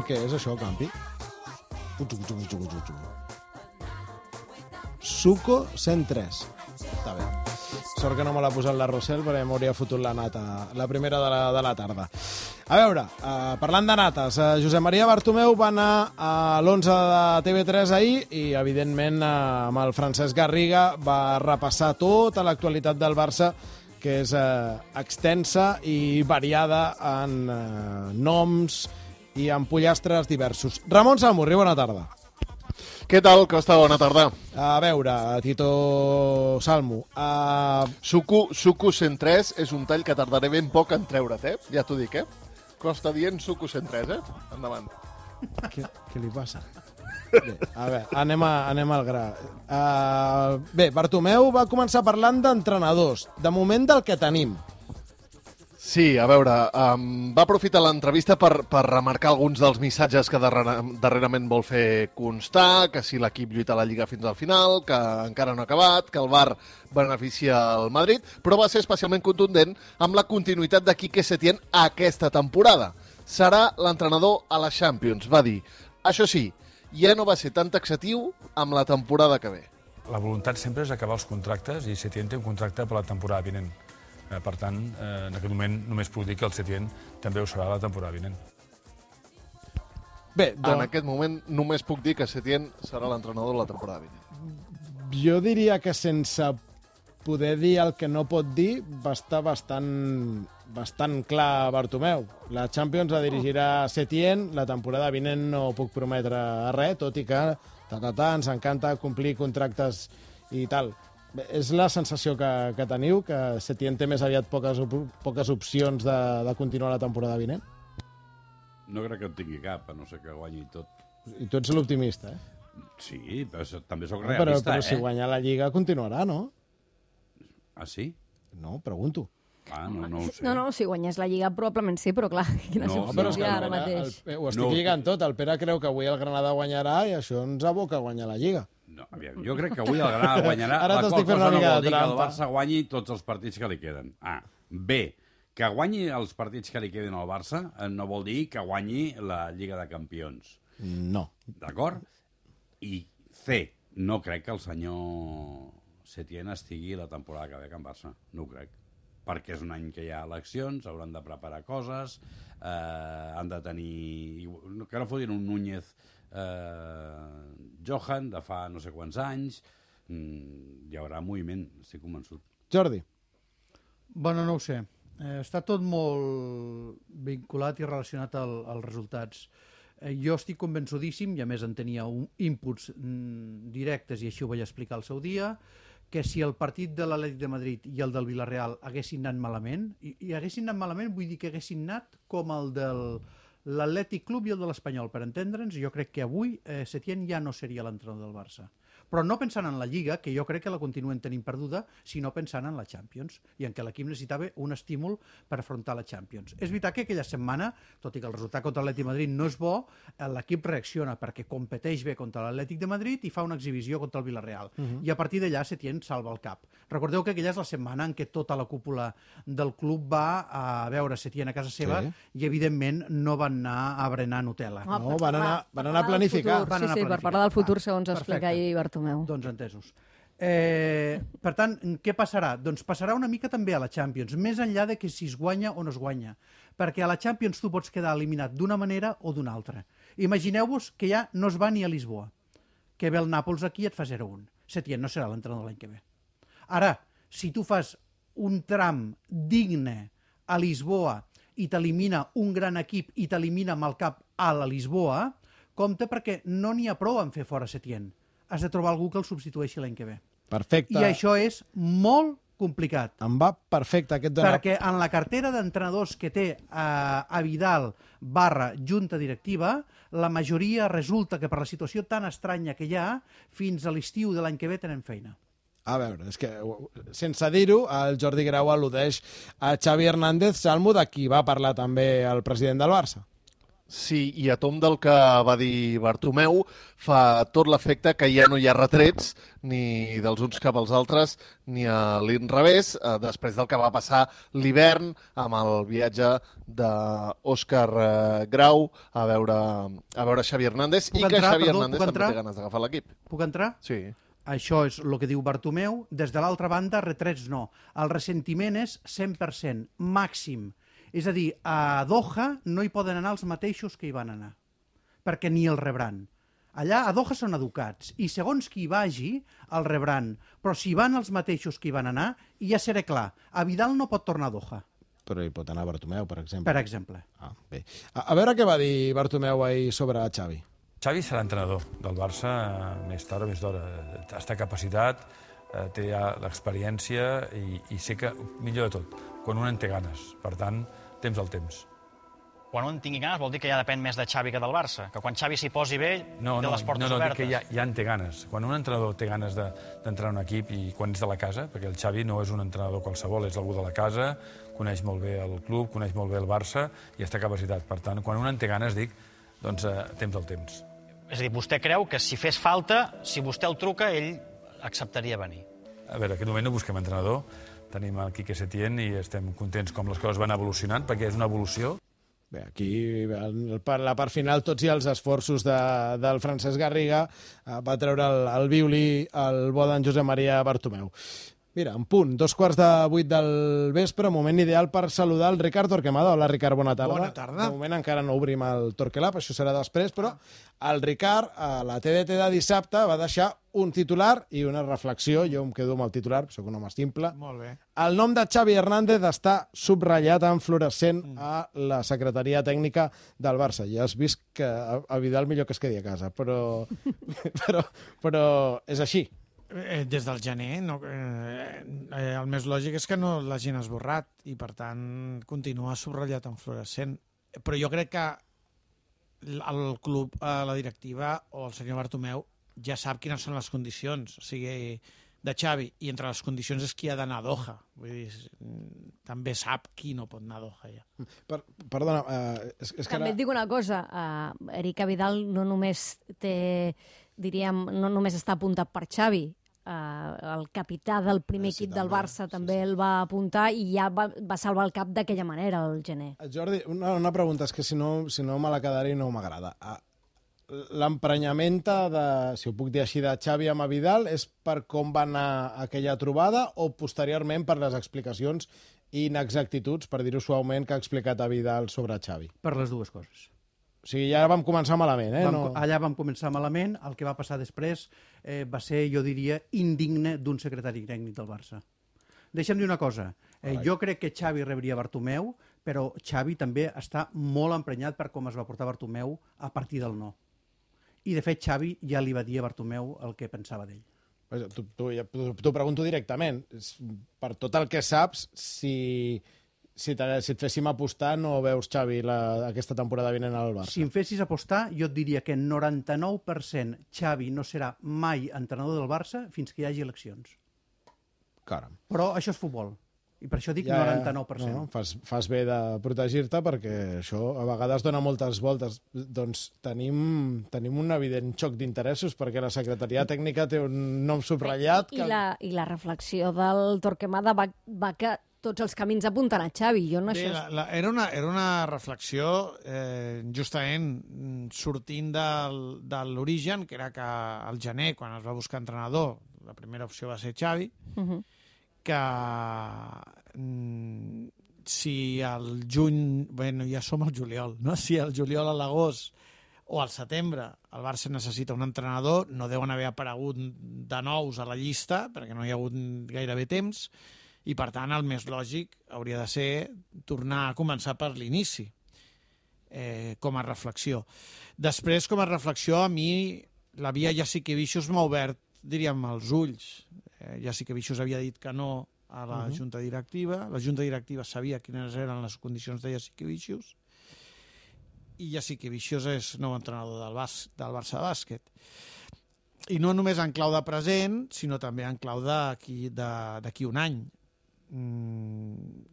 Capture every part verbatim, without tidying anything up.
Què és això, Campi? Suco cent tres. Està bé. Sort que no me l'ha posat la Rossell perquè m'hauria fotut la nata, la primera de la, de la tarda. A veure, uh, parlant de nates, uh, Josep Maria Bartomeu va anar a l'onze de T V tres ahir i, evidentment, uh, amb el Francesc Garriga va repassar tota l'actualitat del Barça, que és uh, extensa i variada en uh, noms i en pollastres diversos. Ramon Samurri, bona tarda. Què tal, Costa? Bona tarda. A veure, Tito Salmo. Uh... Suco, Suco cent tres és un tall que tardaré ben poc en treure't, eh? Ja t'ho dic, eh? Costa dient Suco cent tres, eh? Endavant. Què, què li passa? Bé, a veure, anem, a, anem al gra. Uh, bé, Bartomeu va començar parlant d'entrenadors. De moment del que tenim. Sí, a veure, um, va aprofitar l'entrevista per, per remarcar alguns dels missatges que darrere, darrerament vol fer constar, que si l'equip lluita a la Lliga fins al final, que encara no ha acabat, que el V A R beneficia el Madrid, però va ser especialment contundent amb la continuïtat de Quique Setién aquesta temporada. Serà l'entrenador a la Champions, va dir. Això sí, ja no va ser tan taxatiu amb la temporada que ve. La voluntat sempre és acabar els contractes i Setién té un contracte per la temporada vinent. Per tant, en aquest moment només puc dir que el Setién també ho serà la temporada vinent. Bé, doncs... En aquest moment només puc dir que Setién serà l'entrenador de la temporada vinent. Jo diria que sense poder dir el que no pot dir va estar bastant, bastant clar Bartomeu. La Champions la dirigirà Setién, la temporada vinent no puc prometre res, tot i que ta, ta, ta, ens encanta complir contractes i tal. Bé, és la sensació que, que teniu, que Setién té més aviat poques, poques opcions de, de continuar la temporada vinent? No crec que en tingui cap, a no ser que guanyi tot. I tu ets l'optimista, eh? Sí, però també sóc no, realista, però, però eh? si guanya la Lliga continuarà, no? Ah, sí? No, pregunto. Ah, no, no ho sé. No, no, si guanyés la Lliga probablement sí, però clar, quines No, opcions però és hi que ha ara no, mateix? El, ho estic No. lligant tot. El Pere creu que avui el Granada guanyarà i això ens aboca a guanyar la Lliga. No, aviam, jo crec que avui el Granada guanyarà, Ara la qual t'estic fent cosa una no mica vol de dir que el trampa. Barça guanyi tots els partits que li queden. A. B. Que guanyi els partits que li queden al Barça no vol dir que guanyi la Lliga de Campions. No. D'acord? I C. No crec que el senyor Setién estigui la temporada que ve a Can Barça. No ho crec. Perquè és un any que hi ha eleccions, hauran de preparar coses, eh, han de tenir... Que no fotin un Núñez eh, Johan de fa no sé quants anys, mm, hi haurà moviment, estic convençut. Jordi. Bueno, no ho sé. Eh, està tot molt vinculat i relacionat al, als resultats. Eh, jo estic convençudíssim, i a més en tenia un, inputs mm, directes i així ho vaig explicar al seu dia, que si el partit de l'Atlètic de Madrid i el del Villarreal haguessin anat malament, i, i haguessin anat malament vull dir que haguessin anat com el del l'Atlètic Club i el de l'Espanyol, per entendre'ns, jo crec que avui eh, Setién ja no seria l'entrenador del Barça. Però no pensant en la Lliga, que jo crec que la continuen tenint perduda, sinó pensant en la Champions, i en què l'equip necessitava un estímul per afrontar la Champions. És veritat que aquella setmana, tot i que el resultat contra l'Atlètic de Madrid no és bo, l'equip reacciona perquè competeix bé contra l'Atlètic de Madrid i fa una exhibició contra el Villarreal. Uh -huh. I a partir d'allà Setién salva el cap. Recordeu que aquella és la setmana en què tota la cúpula del club va a veure Setién a casa seva sí. i, evidentment, no van anar a berenar Nutella. Ah, No, van anar, van anar a planificar. Futur, sí, sí, per parlar del futur, segons Ah, explica ahir Bartomeu. Doncs entesos. Eh, per tant, què passarà? Doncs passarà una mica també a la Champions, més enllà de que si es guanya o no es guanya. Perquè a la Champions tu pots quedar eliminat d'una manera o d'una altra. Imagineu-vos que ja no es va ni a Lisboa, que ve el Nàpols aquí i et fa zero a un. Setién no serà l'entrenador l'any que ve. Ara, si tu fas un tram digne a Lisboa i t'elimina un gran equip i t'elimina amb el cap a la Lisboa, compte perquè no n'hi ha prou en fer fora Setién. Has de trobar algú que el substitueixi l'any que ve. Perfecte. I això és molt complicat. Em va perfecte aquest dona. Perquè en la cartera d'entrenadors que té eh, a Vidal barra junta directiva, la majoria resulta que per la situació tan estranya que hi ha, fins a l'estiu de l'any que ve tenen feina. A veure, és que, sense dir-ho, el Jordi Grau al·ludeix a Xavi Hernández, Salmo, de qui va parlar també el president del Barça. Sí, i a tom del que va dir Bartomeu, fa tot l'efecte que ja no hi ha retrets ni dels uns cap als altres ni a l'inrevés, eh, després del que va passar l'hivern amb el viatge d'Òscar eh, Grau a veure, a veure Xavi Hernández, Puc i que entrar, Xavi perdó, Hernández puc també entrar? té ganes d'agafar l'equip. Puc entrar? Sí. Això és el que diu Bartomeu. Des de l'altra banda, retrets no. El ressentiment és cent per cent, màxim. És a dir, a Doha no hi poden anar els mateixos que hi van anar, perquè ni el rebran. Allà a Doha són educats, i segons qui hi vagi, el rebran. Però si van els mateixos que hi van anar, ja seré clar, a Vidal no pot tornar a Doha, Però hi pot anar Bartomeu, per exemple. per exemple. Ah, bé. A, a veure què va dir Bartomeu ahir sobre Xavi. Xavi serà entrenador del Barça eh, més tard o més d'hora. Està capacitat, eh, té ja l'experiència i, i sé que, millor de tot, quan un en té ganes. Per tant, temps al temps. Quan un tingui ganes vol dir que ja depèn més de Xavi que del Barça, que quan Xavi s'hi posi bé No, té no, les portes no, no, dic obertes. que ja, ja en té ganes. Quan un entrenador té ganes de- d'entrar en un equip i quan és de la casa, perquè el Xavi no és un entrenador qualsevol, és algú de la casa, coneix molt bé el club, coneix molt bé el Barça i està capacitat. Per tant, quan un en té ganes, dic, doncs eh, temps al temps. És a dir, vostè creu que si fes falta, si vostè el truca, ell acceptaria venir. A veure, en aquest moment no busquem entrenador, tenim el Quique Setién i estem contents com les coses van evolucionant, perquè és una evolució. Bé, aquí, el, per la part final, tots i els esforços de, del Francesc Garriga eh, va treure el, el violí el bo d'en Josep Maria Bartomeu. Mira, en punt, dos quarts de vuit del vespre, moment ideal per saludar el Ricard Torquemada. Hola, Ricard, bona tarda. Bona tarda. De moment encara no obrim el Torquelab, això serà després, però el Ricard, a la T D T de dissabte, va deixar un titular i una reflexió. Jo em quedo amb el titular, soc un home simple. Molt bé. El nom de Xavi Hernández està subratllat en fluorescent a la secretaria tècnica del Barça. Ja has vist que a a Vidal millor que es quedi a casa, però, però, però és així. Eh, des del gener, no, eh, eh, el més lògic és que no l'hagin esborrat i, per tant, continua subratllat en fluorescent. Però jo crec que el club, eh, la directiva o el senyor Bartomeu ja sap quines són les condicions, o sigui, de Xavi, i entre les condicions és qui ha d'anar a Doha. Vull dir, també sap qui no pot anar a Doha, ja. Per, perdona, eh, és, és que També ara... et dic una cosa, uh, Erika Vidal no només té, diríem, no només està apuntat per Xavi, uh, el capità del primer Eh, sí, equip del també, Barça sí, també sí. el va apuntar i ja va, va salvar el cap d'aquella manera, el gener. Jordi, una, una pregunta, és que si no, si no me la quedaré i no m'agrada. Ah, l'emprenyamenta de, si ho puc dir així, de Xavi amb Vidal és per com va anar aquella trobada o posteriorment per les explicacions i inexactituds, per dir-ho suaument, que ha explicat a Vidal sobre Xavi? Per les dues coses. O sigui, ja vam començar malament, eh? Vam, No... Allà vam començar malament, el que va passar després eh, va ser, jo diria, indigne d'un secretari tècnic del Barça. Deixa'm dir una cosa, eh, jo crec que Xavi rebria Bartomeu, però Xavi també està molt emprenyat per com es va portar Bartomeu a partir del no. I, de fet, Xavi ja li va dir a Bartomeu el que pensava d'ell. T'ho tu, pregunto directament. Per tot el que saps, si, si, si et féssim apostar, no veus Xavi la, aquesta temporada vinent al Barça? Si em fessis apostar, jo et diria que noranta-nou per cent Xavi no serà mai entrenador del Barça fins que hi hagi eleccions. Caram. Però això és futbol. I per això dic Ja, noranta-nou per cent. No, fas, fas bé de protegir-te perquè això a vegades dona moltes voltes. Doncs tenim, tenim un evident xoc d'interessos perquè la secretaria tècnica té un nom subratllat. I, la, I la reflexió del Torquemada va, va que tots els camins apunten a Xavi. Jo no Bé, això... la, la, era, una, era una reflexió eh, justament sortint del, de l'origen, que era que al gener, quan es va buscar entrenador, la primera opció va ser Xavi, Uh -huh. que mm, si al juny, bueno, ja som al juliol, no? Si al juliol, a l'agost o al setembre el Barça necessita un entrenador, no deuen haver aparegut de nous a la llista, perquè no hi ha hagut gairebé temps, i per tant el més lògic hauria de ser tornar a començar per l'inici, eh, com a reflexió. Després, com a reflexió, a mi la via Jasikevičius m'ha obert, diríem, els ulls. Eh, Jasikevičius havia dit que no a la uh -huh. junta directiva, la junta directiva sabia quines eren les condicions de Jasikevičius, i Jasikevičius és nou entrenador del, bas, del Barça Bàsquet. I no només en clau de present, sinó també en clau d'aquí d'aquí un any. Mm,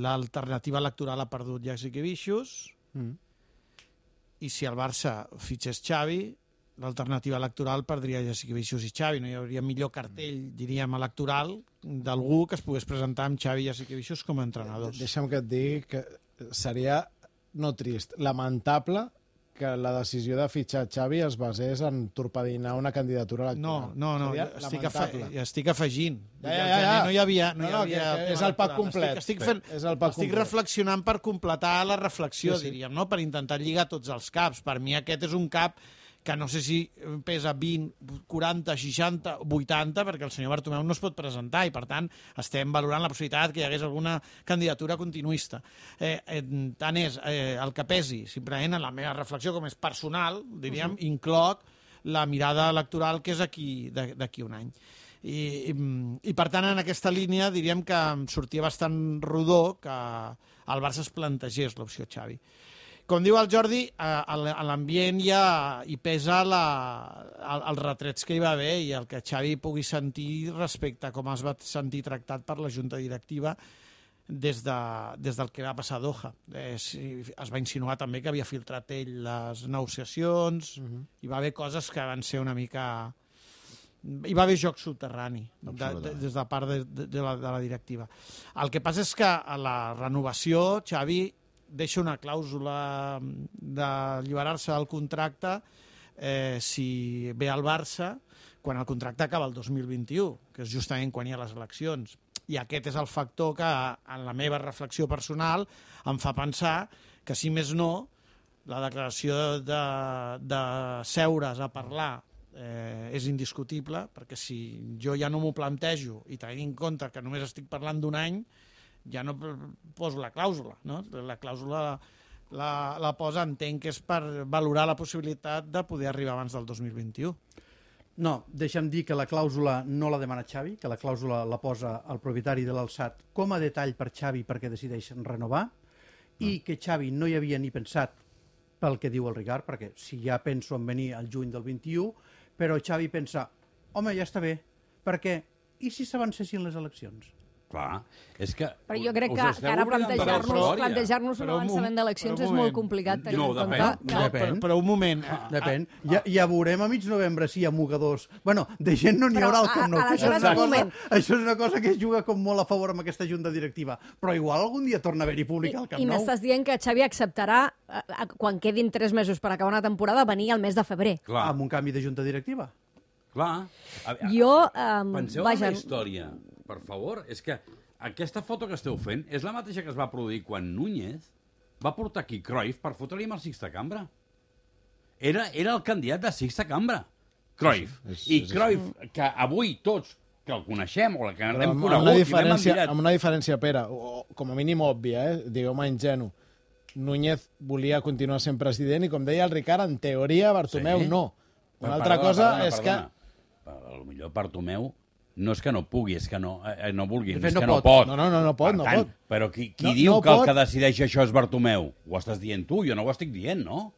l'alternativa electoral ha perdut Jasikevičius, mm. i si el Barça fitxés Xavi, l'alternativa electoral perdria Jasikevičius i Xavi. No hi hauria millor cartell, diríem, electoral d'algú que es pogués presentar amb Xavi i Jasikevičius com a entrenadors. Deixa'm que et digui que seria, no trist, lamentable que la decisió de fitxar Xavi es basés en torpedinar una candidatura electoral. No, no, no, Seria estic, afe lamentable. estic afegint. Ja, ja, ja, ja. No hi havia... No, No, hi no, havia que- que és tema el pack electoral. complet. Estic, estic, fent, És el pack estic complet. reflexionant per completar la reflexió, Sí, sí. diríem, no? Per intentar lligar tots els caps. Per mi aquest és un cap que no sé si pesa vint, quaranta, seixanta, vuitanta, perquè el senyor Bartomeu no es pot presentar i, per tant, estem valorant la possibilitat que hi hagués alguna candidatura continuista. Eh, eh, tant és eh, el que pesi, simplement en la meva reflexió, com és personal, diríem, uh-huh. incloc la mirada electoral que és aquí d'aquí un any. I, i, I, per tant, en aquesta línia diríem que em sortia bastant rodó que el Barça es plantegés l'opció Xavi. Com diu el Jordi, a l'ambient hi, ha, hi pesa la, el, els retrets que hi va haver i el que Xavi pugui sentir respecte a com es va sentir tractat per la Junta Directiva des, de, des del que va passar a Doha. Eh, si, es va insinuar també que havia filtrat ell les negociacions, uh-huh. Hi va haver coses que van ser una mica... Hi va haver joc subterrani de, de, des de part de, de, de, la, de la directiva. El que passa és que a la renovació Xavi deixa una clàusula d'alliberar-se del contracte eh, si ve al Barça quan el contracte acaba el dos mil vint-i-u, que és justament quan hi ha les eleccions. I aquest és el factor que, en la meva reflexió personal, em fa pensar que, si més no, la declaració de, de seure's a parlar eh, és indiscutible, perquè si jo ja no m'ho plantejo i tenint en compte que només estic parlant d'un any, ja no poso la clàusula, no? La clàusula la, la posa, entenc que és per valorar la possibilitat de poder arribar abans del dos mil vint-i-u. No, deixa'm dir que la clàusula no la demana Xavi, que la clàusula la posa el propietari de l'Alsat com a detall per Xavi perquè decideixen renovar, i que Xavi no hi havia ni pensat pel que diu el Ricard, perquè si ja penso en venir al juny del vint-i-u, però Xavi pensa, home, ja està bé, perquè i si s'avancessin les eleccions? Clar, és que... Però jo crec us que, esteu que ara oblidant de la plantejar-nos història. plantejar-nos un Però un avançament moment, d'eleccions però un és molt moment. complicat tenint No, en depèn. compte que... Depèn. Però, però un moment... Depèn. Ja, ja veurem a mig novembre si hi ha mogadors. Bueno, de gent no n'hi Però, haurà al Camp Nou. a- que Això, és aleshores, una un cosa, moment. això és una cosa que es juga com molt a favor amb aquesta junta directiva. Però igual algun dia torna a haver-hi públic al I, Camp i Nou. m'estàs dient que Xavi acceptarà, eh, eh, quan quedin tres mesos per acabar una temporada, venir al mes de febrer. Clar, Amb un canvi de junta directiva. clar. A, a, Jo, eh, Penseu vaja, en la història, per favor. És que aquesta foto que esteu fent és la mateixa que es va produir quan Núñez va portar aquí Cruyff per fotre-li amb el Sixta Cambra. Era, era el candidat de Sixta Cambra, Cruyff. És- I és Cruyff, que avui tots que el coneixem o que Però l'hem amb, amb, conegut una i l'hem diferència, admirat... amb una diferència, Pere, o, o, com a mínim òbvia, eh? digueu-me ingenu. Núñez volia continuar sent president i, com deia el Ricard, en teoria Bartomeu Sí. no. Una Però, altra perdona, cosa perdona, és perdona. A lo millor Bartomeu no és que no pugui, és que no, eh, no vulgui, De fet, és no que no pot. pot. No, no, no, no pot, Per no tant, pot. Però qui, qui No- diu no que el pot. que decideix això és Bartomeu? Ho estàs dient tu, jo no ho estic dient, no?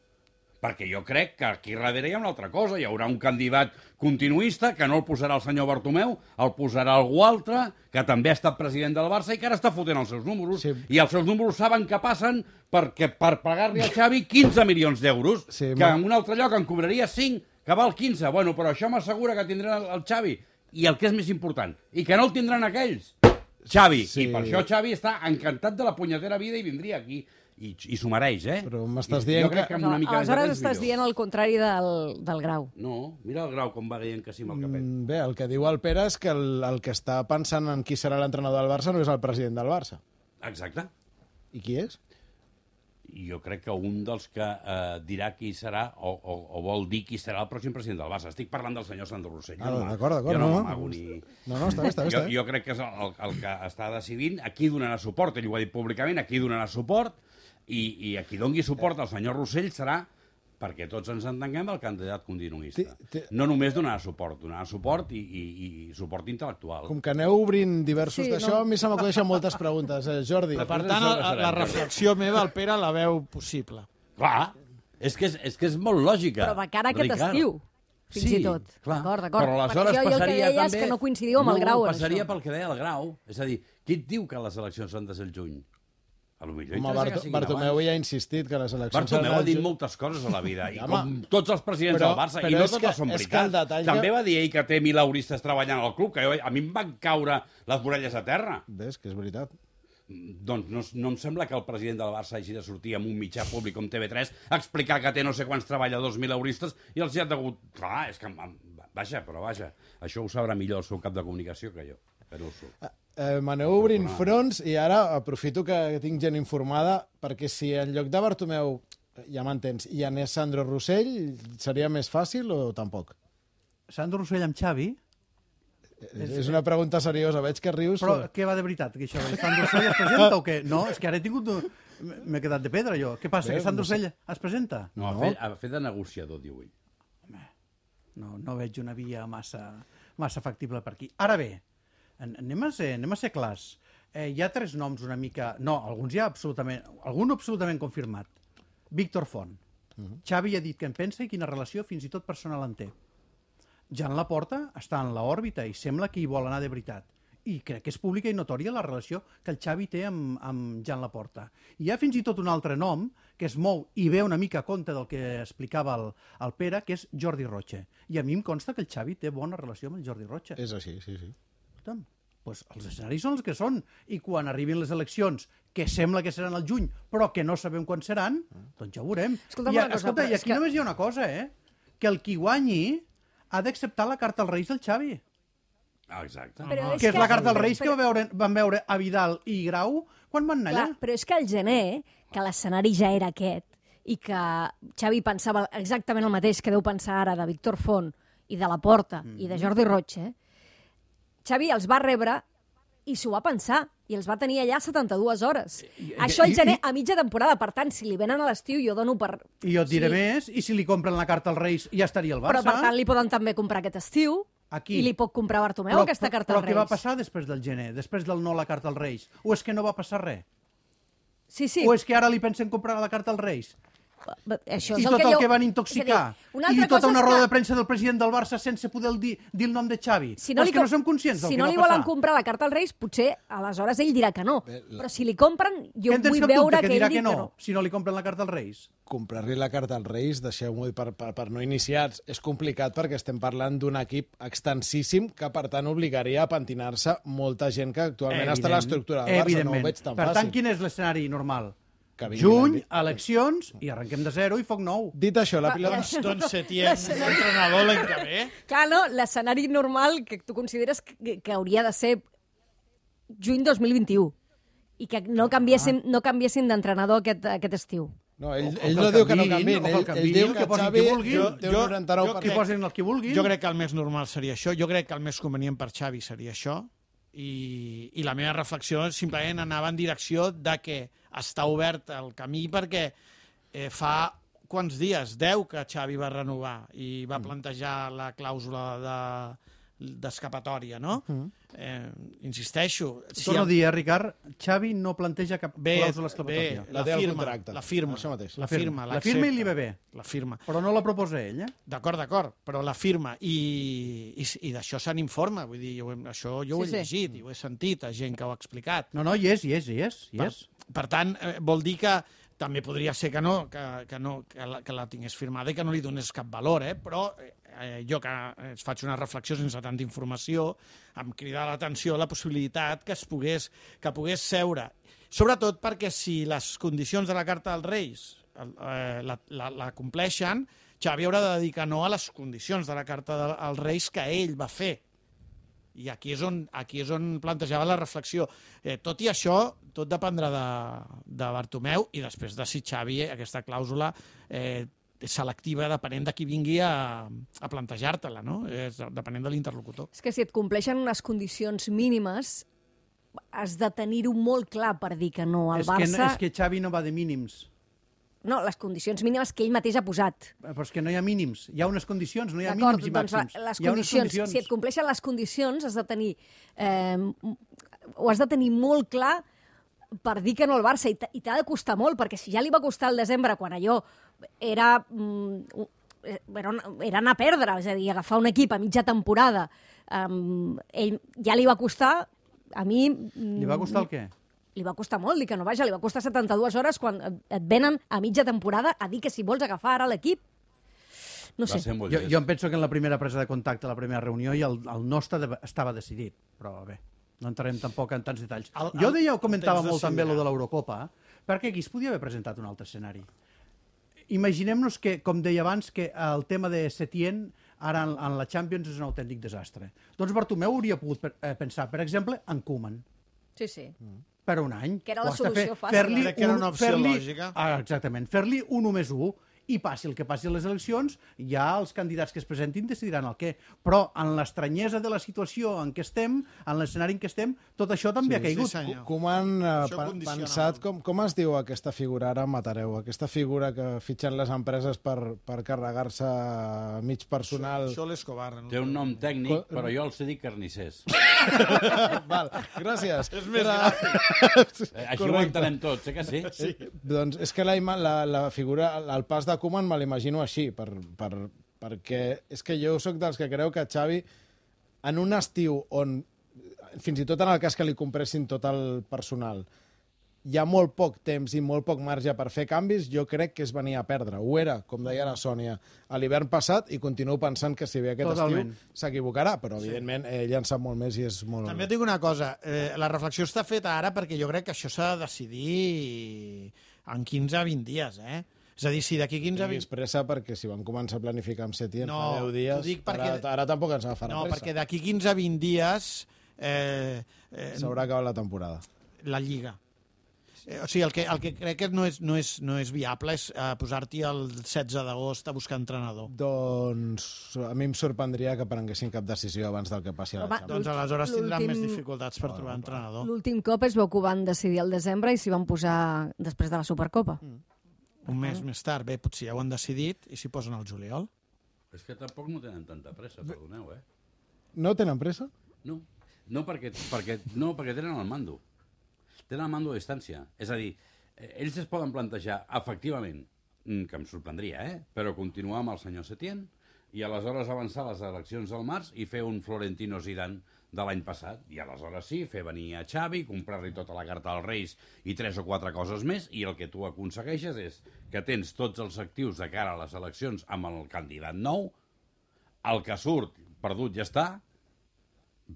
Perquè jo crec que aquí darrere hi ha una altra cosa. Hi haurà un candidat continuista que no el posarà el senyor Bartomeu, el posarà algú altre, que també ha estat president del Barça i que ara està fotent els seus números. Sí. I els seus números saben que passen perquè per pagar-li a Xavi quinze milions d'euros, Sí, que ma- en un altre lloc en cobraria cinc, que val quinze. Bueno, però això m'assegura que tindran el, el Xavi. I el que és més important, i que no el tindran aquells. Xavi. Sí. I per això Xavi està encantat de la punyetera vida i vindria aquí. I, i s'ho mereix, eh? Però m'estàs I dient jo crec que- que amb una mica més de aleshores temps estàs millor. dient el contrari del, del Grau. No, mira el Grau com va dient que sí amb el capet. Mm, Bé, el que diu el Pere és que el, el que està pensant en qui serà l'entrenador del Barça no és el president del Barça. Exacte. I qui és? I jo crec que un dels que eh, dirà qui serà o, o, o vol dir qui serà el pròxim president del Barça. Estic parlant del senyor Sandro Rossell. Ah, Jo no- d'acord, d'acord, Jo no no, no. m'amago ni... No, no, està bé, està bé. Jo, Està bé. jo crec que és el, el, el que està decidint a qui donarà suport. Ell ho ha dit públicament, a qui donarà suport, i, i a qui dongui suport al senyor Rossell serà, perquè tots ens entenguem, el candidat continuista. Té- té- No només donarà suport, donarà suport i, i, i suport intel·lectual. Com que aneu obrint diversos Sí, d'això, no. a mi se m'acudeixen moltes preguntes. Eh, Jordi, Per tant, la, la reflexió meva, el Pere, la veu possible. Clar, és que és, és, que és molt lògica. Però de cara a aquest Ricard. estiu, fins Sí, i tot. clar. D'acord, d'acord. Però Perquè aleshores jo, jo el que passaria deia també... és que no coincidiu amb el Grau. No, en passaria això. pel que deia el Grau. És a dir, qui et diu que les eleccions han de ser el juny? A lo millor Home, interessa que Barto, siguin Bartomeu abans. ja ha insistit que les eleccions... Bartomeu seran ha dit al juny. moltes coses a la vida, i Home, com tots els presidents però- del Barça, però i no és que- totes són és que el veritats. detall També que- va dir ell que té milauristes treballant al club, que jo, a mi em van caure les vorelles a terra. Ves, que és veritat. Doncs no, no em sembla que el president del Barça hagi de sortir amb un mitjà públic com T V tres a explicar que té no sé quants treballadors milauristes i els hi ha degut... Clar, és que... Vaja, però vaja, això ho sabrà millor el seu cap de comunicació que jo. Però ho sé. Eh, m'aneu obrint fronts i ara aprofito que tinc gent informada perquè si en lloc de Bartomeu, ja m'entens, hi anés Sandro Rossell, seria més fàcil o tampoc? Sandro Rossell amb Xavi? És, és una pregunta seriosa, veig que rius. Però què va de veritat? Que això, Sandro Rossell es presenta o què? No, és que ara he tingut... M'he quedat de pedra, jo. Què passa, Bé, que Sandro no sé. Rossell es presenta? No, ha fet, ha fet de negociador, diu ell. No, no veig una via massa, massa factible per aquí. Ara bé, en- anem a ser, anem a ser clars. Eh, hi ha tres noms una mica... No, alguns ja absolutament... Algun absolutament confirmat. Víctor Font. Xavi ja ha dit què en pensa i quina relació fins i tot personal en té. Jan Laporta està en l'òrbita i sembla que hi vol anar de veritat. I crec que és pública i notòria la relació que el Xavi té amb, amb Jan Laporta. I hi ha fins i tot un altre nom que es mou i ve una mica a compte del que explicava el, el Pere, que és Jordi Roche. I a mi em consta que el Xavi té bona relació amb el Jordi Roche. És així, sí, sí. Escolta'm, doncs els escenaris són els que són. I quan arribin les eleccions, que sembla que seran al juny, però que no sabem quan seran, doncs ja ho veurem. Escolta'm I, una cosa, escolta, però i és aquí que- només hi ha una cosa, eh? Que el qui guanyi ha d'acceptar la carta als Reis del Xavi. Ah, exacte. Però és Que és la carta als però- Reis que va veure, van veure a Vidal i Grau quan van anar Clar, allà. però és que al gener, que l'escenari ja era aquest, i que Xavi pensava exactament el mateix que deu pensar ara de Víctor Font i de Laporta mm. i de Jordi Roche, Xavi els va rebre i s'ho va pensar, i els va tenir allà setanta-dues hores. I- Això al i- gener, i- a mitja temporada, per tant, si li venen a l'estiu, jo dono per... I jo et diré Sí. més, i si li compren la carta als Reis ja estaria al Barça. Però, per tant, li poden també comprar aquest estiu, Aquí. i li pot comprar Bartomeu però, aquesta carta però als què Reis. va passar després del gener, després del no a la carta als Reis? O és que no va passar res? Sí, sí. O és que ara li pensen comprar la carta als Reis? Això I és tot el el jo- que van és a intoxicar. dir, una I altra tota cosa una és roda que- de premsa del president del Barça sense poder dir, dir el nom de Xavi. Si no, Però li és que com- no som conscients del si que no va li passar. volen comprar la carta als Reis, potser aleshores ell dirà que no. Però si li compren, jo Què en tens vull cap dubte veure que que dirà ell que digui no, que no. si no li compren la carta als Reis? Comprar-li la carta als Reis, deixeu-m'ho dir, per, per, per no iniciats, és complicat perquè estem parlant d'un equip extensíssim que, per tant, obligaria a pentinar-se molta gent que actualment està a l'estructura del Barça. No ho Evidentment. veig tan per fàcil. tant, quin és l'escenari normal? Que vinguin Juny, a- eleccions, i arrenquem de zero i foc nou. Dit això, la pilota... Doncs, doncs Setién, entrenador l'any que ve. Clar, no, l'escenari normal que tu consideres que, que hauria de ser juny dos mil vint-i-u i que no canviessin, no canviessin d'entrenador aquest, aquest estiu. No, ell, O- o ell que no el diu que no canviïn, canviïn, o que el ell, ell canviïn, diu que que posin Xavi qui vulguin. jo- té un Jo- noranta-nou jo per Que cent. posin el que vulguin. Jo crec que el més normal seria això. Jo crec que el més convenient per Xavi seria això. I, i la meva reflexió simplement anava en direcció de que està obert el camí perquè eh, fa quants dies? deu que Xavi va renovar i va plantejar la clàusula de d'escapatòria, no? Eh, insisteixo. Si Torno a el- dir, eh, Ricard, Xavi no planteja cap Bé, clàusula bé, escapatòria. La la té al firma, contracte. la firma, Això mateix. la firma, La firma i li ve bé, la firma. però no la proposa ell, eh? D'acord, d'acord, però la firma i, i, i d'això se n'informa, vull dir, jo, això jo ho he Sí, sí. llegit i ho he sentit a gent que ho ha explicat. No, no, hi és, hi és, hi és. Hi Per, és. per tant, eh, vol dir que també podria ser que no, que, que, no, que, la, que la tingués firmada i que no li donés cap valor, eh? Però eh, jo que es faig una reflexió sense tanta informació, em crida l'atenció la possibilitat que es pogués, que pogués seure. Sobretot perquè si les condicions de la Carta dels Reis eh, la, la, la compleixen, Xavi haurà de dir que no a les condicions de la Carta dels Reis que ell va fer. I aquí és on, aquí és on plantejava la reflexió. Eh, tot i això, tot dependrà de, de Bartomeu i després de si Xavi, eh, aquesta clàusula eh, selectiva, depenent de qui vingui a, a plantejar-te-la, no? És, depenent de l'interlocutor. És que si et compleixen unes condicions mínimes, has de tenir-ho molt clar per dir que no al És que, Barça. és que Xavi no va de mínims. No, les condicions mínimes que ell mateix ha posat. Però és que no hi ha mínims. Hi ha unes condicions, no hi ha D'acord, mínims i doncs màxims. la- les Hi ha unes condicions, si et compleixen les condicions, has de tenir... Eh, ho has de tenir molt clar per dir que no al Barça, i t- i t'ha de costar molt, perquè si ja li va costar al desembre, quan allò era, mm, era, era anar a perdre, és a dir, agafar un equip a mitja temporada, um, ell ja li va costar, a mi... Li va costar el què? li va costar molt dir que no, vaja, li va costar setanta-dues hores quan et venen a mitja temporada a dir que si vols agafar ara l'equip. No sé. Jo, jo em penso que en la primera presa de contacte, la primera reunió, i el, el nostre de, estava decidit, però bé, no entrarem tampoc en tants detalls. El, el, jo deia, ho comentava molt també, lo de l'Eurocopa, perquè aquí es podia haver presentat un altre escenari. Imaginem-nos que, com deia abans, que el tema de Setién ara en, en la Champions és un autèntic desastre. Doncs Bartomeu hauria pogut per, eh, pensar, per exemple, en Koeman. Sí, sí. Per un any. Que era la solució fàcil. Fer-li Crec que era una opció fer-li- lògica. Ah, exactament. Fer-li un u més u, i passi el que passi a les eleccions, ja els candidats que es presentin decidiran el què. Però en l'estranyesa de la situació en què estem, en l'escenari en què estem, tot això també Sí, ha caigut. sí, senyor. Com han eh, Això pa- condiciona pensat, molt. com, com es diu aquesta figura, ara em matareu, aquesta figura que fitxen les empreses per, per carregar-se mig personal? Això l'Escobar. No? Té un nom tècnic, però jo els dic carnissers. Val, gràcies. És més Era- Eh, Així ho Correcte. entenem tots, eh que sí? Sí. Doncs és que la, ima- la, la figura, el pas de Koeman me l'imagino així, per, per, perquè és que jo sóc dels que creu que Xavi, en un estiu on, fins i tot en el cas que li compressin tot el personal, hi ha molt poc temps i molt poc marge per fer canvis, jo crec que es venia a perdre. Ho era, com deia la Sònia, a l'hivern passat, i continuo pensant que si ve aquest Totalment. estiu s'equivocarà, però evidentment ell en sap molt més i és molt... També et dic una cosa, eh, la reflexió està feta ara perquè jo crec que això s'ha de decidir en quinze a vint dies, eh? És a dir, si d'aquí quinze a vint... Tinguis pressa perquè si van començar a planificar amb Setién No, fa deu dies, t'ho dic perquè- ara, ara tampoc ens agafarà No, pressa. perquè d'aquí quinze a vint dies eh, eh, S'haurà acabat la temporada. la Lliga. Eh, o sigui, el que, el que crec que no és, no és, no és viable és eh, posar-t'hi el setze d'agost a buscar entrenador. Doncs a mi em sorprendria que prenguessin cap decisió abans del que passi a la Home, Champions. Doncs aleshores tindran L'últim- més dificultats per trobar entrenador. L'últim cop es veu que ho van decidir al desembre i s'hi van posar després de la Supercopa. Un mes més tard, bé, potser ja ho han decidit i s'hi posen al juliol. És que tampoc no tenen tanta pressa, perdoneu, eh? No tenen pressa? No, no perquè, perquè, no, perquè tenen el mando. Tenen el mando a distància. És a dir, eh, ells es poden plantejar, efectivament, mm, que em sorprendria, eh? però continuar amb el senyor Setién i aleshores avançar les eleccions al març i fer un Florentino Zidane de l'any passat. I aleshores sí, fer venir a Xavi, comprar-li tota la carta als Reis i tres o quatre coses més, i el que tu aconsegueixes és que tens tots els actius de cara a les eleccions amb el candidat nou, el que surt perdut ja està.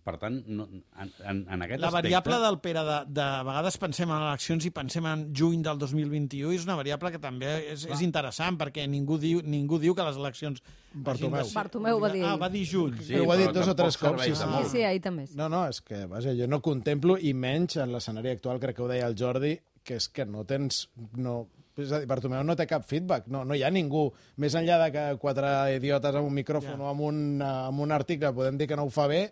Per tant, no, en, en, en aquest La aspecte... variable del Pere, de, de vegades pensem en eleccions i pensem en juny del dos mil vint-i-u, és una variable que també és, és interessant, perquè ningú diu, ningú diu que les eleccions... Bartomeu. hagin de ser- Bartomeu va dir Ah, ell. va dir juny. Sí, Però ho ha dit però dos o tampoc tres cops, serveix sí, de sí. Sí, molt. sí, ahir també. No, no, és que, vaja, jo no contemplo, i menys en l'escenari actual, crec que ho deia el Jordi, que és que no tens... No, és a dir, Bartomeu no té cap feedback, no, no hi ha ningú, més enllà de que quatre idiotes amb un micròfon Ja. o amb un, eh, amb un article podem dir que no ho fa bé,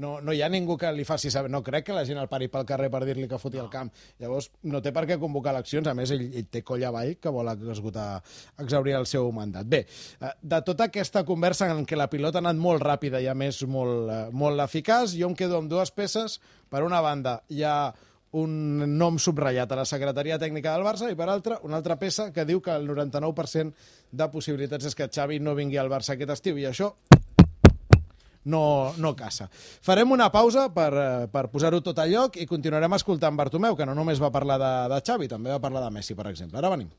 no, no hi ha ningú que li faci saber. No crec que la gent el pari pel carrer per dir-li que foti no. el camp. Llavors, no té per què convocar eleccions. A més, ell, ell té coll avall que vol esgotar, exaurir el seu mandat. Bé, eh, de tota aquesta conversa en què la pilota ha anat molt ràpida i, a més, molt, eh, molt eficaç, jo em quedo amb dues peces. Per una banda, hi ha un nom subratllat a la secretaria tècnica del Barça i, per altra, una altra peça que diu que el noranta-nou per cent de possibilitats és que Xavi no vingui al Barça aquest estiu, i això no, no caça. Farem una pausa per, eh, per posar-ho tot a lloc i continuarem escoltant Bartomeu, que no només va parlar de, de Xavi, també va parlar de Messi, per exemple. Ara venim.